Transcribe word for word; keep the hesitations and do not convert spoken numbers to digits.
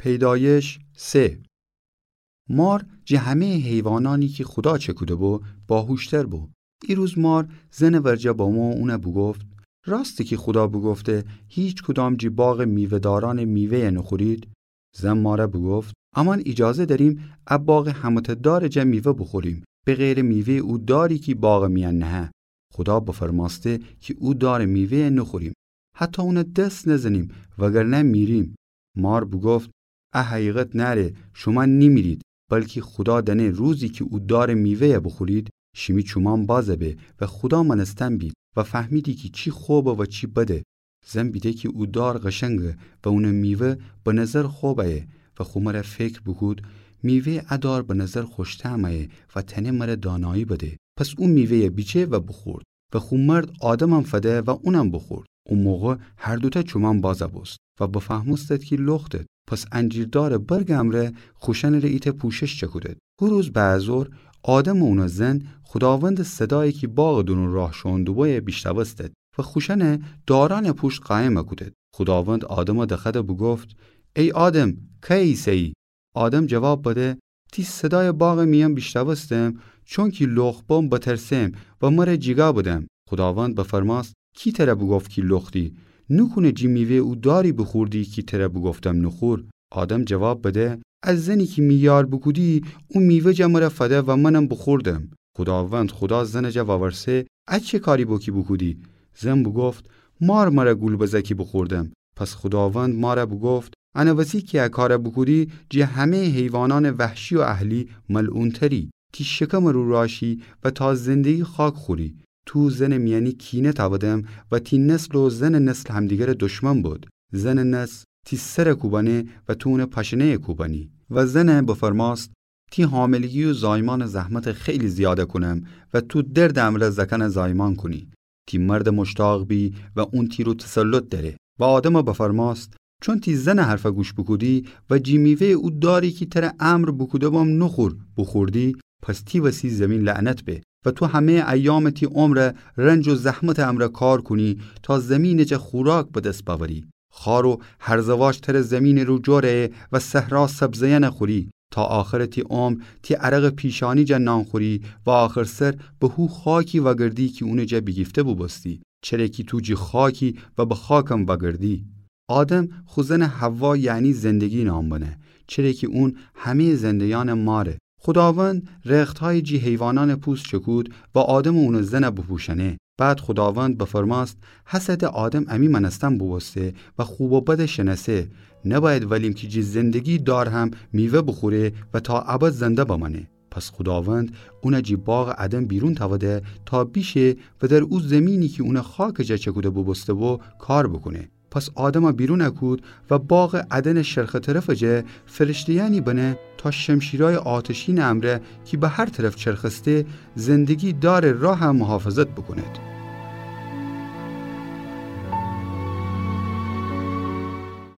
پیدایش سه. مار جٚه همه‌یٚ حیوانأنی کی خودا چکوده‌بو، باهوشتر بو. ایروز مار زنٚ ورجه بمو اون بوگفت: راسته کی خودا بوگفته هیکدام جٚه باغٚ میوه‌دارأنٚ میوه‌یَ نوخورید؟ زن مار بوگفت: امأن ایجازه دأریم ا باغٚ همه‌تأ دارٚ جا میوه بوخوریم، به غیرٚ میوه‌یٚ او داری کی باغٚ میأن نهه. خودا بفرمأسته کی او دارٚ میوه‌یَ نوخوریم، حتی اون دس نزنیم، وگرنه میریم. مار بوگفت: ا حقیقت نأره، شومأن نیمیرید، بلکی خودا دأنه روزی کی او دارٚ میوه‌یَ بوخورید، شیمی چومأن بازَ به و خودا مأنستن بید و فهمیدی کی چی خوبه و چی بده. زن بیده کی او دار قشنگه و اونٚ میوه به نظر خوب ایه و خو مره فکر بوکود: میوه‌یٚ ا دار به نظر خوش‌طعم ایه و تأنه مره دانایی بده. پس او میوه‌یَ بیچه و بوخورد و خو مرد آدمم فده و اونم بوخورد. او موقع هر دوتأ چومأن بازَ بوست و بفهمستد کی لختد. پس انجیر دارٚ برگٚ امرأ خوشأنٚ ره ایتأ پوشش چکودد. هو روز بعد از ظهر آدم و اونٚ زن خوداوندٚ صدایَ کی باغٚ دورون راه شوئون دوبویه بیشنوستد و خوشأنَ دارأنٚ پوشت قایم کودد. خوداوند آدمَ دخوأد و بوگفت: ای آدم، کیی ایسه‌یی؟ آدم جواب بده: تی صدایَ باغٚ میأن بیشنوستم، چونکی لخت بم بترسم و مره جیگا بدم. خوداوند بفرمأست: کی تره بوگفت کی لختی؟ نوکونه جٚه میوه‌یٚ او داری بوخوردی کی تره بوگفتم نوخور؟ آدم جواب بده: ا زنی کی می یار بوکودی، او میوه جا مره فده و منم بوخوردم. خوداوند خودا زنٚ جا وورسه: ا چی کاری بو کی بوکودی؟ زن بوگفت: مار مره گول بزه کی بوخوردم. پس خوداوند مار بوگفت: انٚ وسی کی ا کار بوکودی، جٚه همه‌یٚ حیوانأنٚ وحشی و اهلی ملعون‌تری. تی شکمٚ رو راشی و تا زندگی خاک خوری. تو زنٚ میأنی کینه تأودم و تی نسل و زنٚ نسل همدیگرٚ دشمن بد. زنٚ نسل تی سر کوبأنه و تو اونٚ پاشنه‌یَ کوبأنی. و زن بفرمأست: تی حاملگی و زایمانٚ زحمتَ خیلی زیاد کونم و تو دردٚ امرأ زأکأنَ زایمان کونی. تی مرد مشتاق بی و اون تی رو تسلط دأره. و آدمَ بفرمأست: چون تی زنٚ حرفَ گوش بوکودی و جٚه میوه‌یٚ او داری کی تره امر بوکوده‌بم نوخور، بوخوردی، پس تی وسی زمین لعنت به و تو همه‌یٚ ایامٚ تی عمر رنج و زحمتٚ امرأ کار کونی تا زمینٚ جا خوراک به دس بأوری. خار و هرزه‌واش تره زمینٚ رو جور ایه و صحرا سبزه‌یأنَ خوری. تا آخرٚ تی عمر تی عرقٚ پیشانی جا نان خوری و آخرسر به هو خاکی وأگردی کی اونٚ جا بیگیفته بوبوستی، چره کی تو جٚه خاکی و به خاکم وأگردی. آدم خو زنٚ حوا، یعنی زندگی نام بنه، چره کی اون همه‌یٚ زنده‌یأنٚ ماره. خوداوند رختهایی جٚه حیوانأنٚ پوست چکود و آدم و اونٚ زنَ بوپوشأنه. بعد خوداوند بفرمأست: هسه ده آدم امی مأنستن بوبوسته و خوب و بدَ شنأسه. نبأید وألیم کی جٚه زندگی دار هم میوه بوخوره و تا ابد زنده بمأنه. پس خوداوند اونَ جٚه باغٚ عدن بیرون تأوده تا بیشه و در او زمینی کی اونَ خاکٚ جا چکوده بوبوسته‌بو کار بوکونه. پس آدمَ بیرون کود و باغٚ عدنٚ شرقٚ طرفٚ جا فرشته‌یأنی بنه تا شمشیرأیٚ آتشینٚ امرأ کی به هر طرف چرخسته، زندگی دارٚ راهَ محافظت بوکوند.